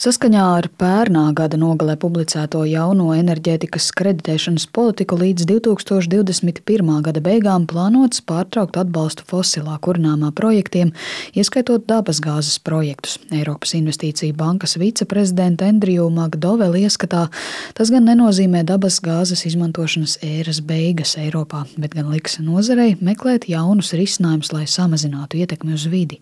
Saskaņā ar pērnā gada nogalē publicēto jauno enerģētikas kreditēšanas politiku līdz 2021. gada beigām plānots pārtraukt atbalstu fosilā kurināmā projektiem, ieskaitot dabasgāzes projektus. Eiropas Investīciju bankas viceprezidenta Andriju Makdoveli ieskatā, tas gan nenozīmē dabasgāzes izmantošanas ēras beigas Eiropā, bet gan liks nozarei meklēt jaunus risinājumus, lai samazinātu ietekmi uz vidi.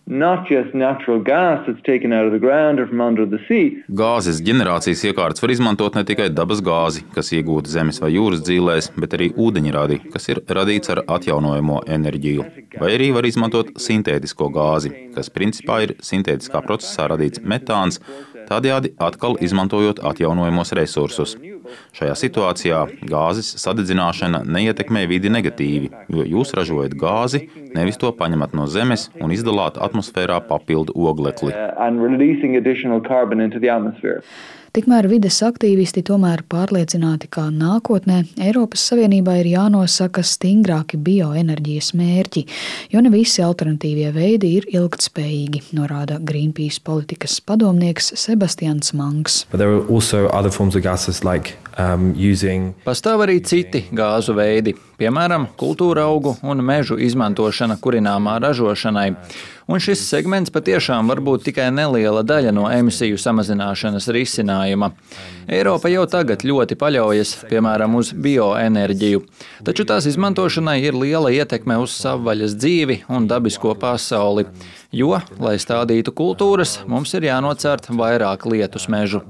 Gāzes ģenerācijas iekārtas var izmantot ne tikai dabas gāzi, kas iegūta zemes vai jūras dzīlēs, bet arī ūdeņradi, kas ir radīts ar atjaunojamo enerģiju. Vai arī var izmantot sintētisko gāzi, kas principā ir sintētiskā procesā radīts metāns, tādējādi atkal izmantojot atjaunojamos resursus. Šajā situācijā gāzes sadedzināšana neietekmē vidi negatīvi, jo jūs ražojat gāzi, nevis to paņemat no zemes un izdalāt atmosfērā papildu oglekli. Tikmēr vides aktīvisti tomēr pārliecināti, ka nākotnē Eiropas Savienībā ir jānosaka stingrāki bioenerģijas mērķi, jo ne visi alternatīvie veidi ir ilgtspējīgi, norāda Greenpeace politikas padomnieks Sebastians Manks. Pastāv arī citi gāzu veidi, piemēram, kultūra augu un mežu izmantošana kurināmā ražošanai. Un šis segments patiešām var būt tikai neliela daļa no emisiju samazināšanas risinājuma. Eiropa jau tagad ļoti paļaujas, piemēram, uz bioenerģiju, taču tās izmantošanai ir liela ietekme uz savvaļas dzīvi un dabisko pasauli, jo, lai stādītu kultūras, mums ir jānocērt vairāk lietus mežu.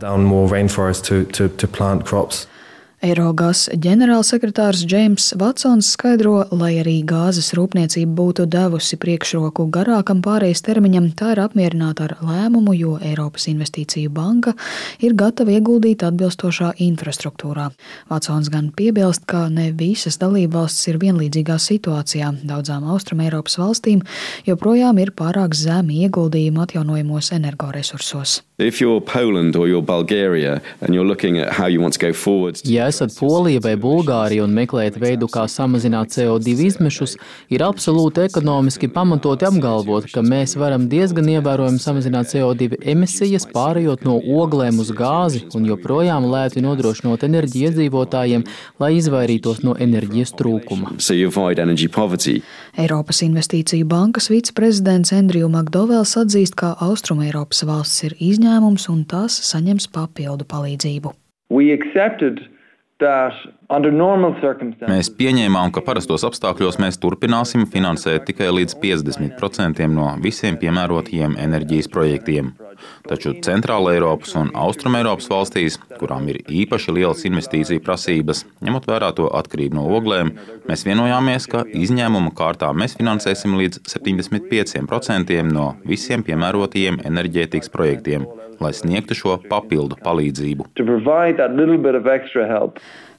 Eirogas ģenerālsekretārs Džeims Vatsons skaidro, lai arī gāzes rūpniecība būtu devusi priekšroku garākam pārejas termiņam, tā ir apmierināta ar lēmumu, jo Eiropas Investīciju banka ir gatava ieguldīt atbilstošā infrastruktūrā. Vatsons gan piebilst, ka ne visas dalībvalstis ir vienlīdzīgā situācijā. Daudzām Austrumeiropas valstīm joprojām ir pārāk zemi ieguldījumi atjaunojamos energoresursos. Ja esat Polija vai Bulgārija un meklējat veidu, kā samazināt CO2 izmešus, ir absolūti ekonomiski pamatoti apgalvot, ka mēs varam diezgan ievērojami samazināt CO2 emisijas, pārējot no oglēm uz gāzi un joprojām lēti nodrošinot enerģiju iedzīvotājiem, lai izvairītos no enerģijas trūkuma. Eiropas Investīciju bankas viceprezidents Andriju Makdovels atzīst, ka Austrumeiropas valstis ir izņēmums un tās saņems papildu palīdzību. Mēs pieņēmām, ka parastos apstākļos mēs turpināsim finansēt tikai līdz 50% no visiem piemērotajiem enerģijas projektiem. Taču Centrāla Eiropas un Austrumeiropas valstīs, kurām ir īpaši lielas investīciju prasības, ņemot vērā to atkarību no oglēm, mēs vienojāmies, ka izņēmuma kārtā mēs finansēsim līdz 75% no visiem piemērotajiem enerģētikas projektiem, lai sniegtu šo papildu palīdzību.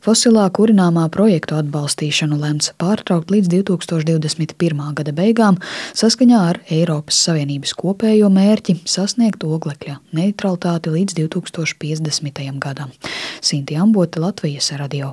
Fosilā kurināmā projektu atbalstīšanu lemts pārtraukt līdz 2021. gada beigām saskaņā ar Eiropas Savienības kopējo mērķi sasniegt oglekļa neutralitāti līdz 2050. gadam. Sinti Ambote, Latvijas radio.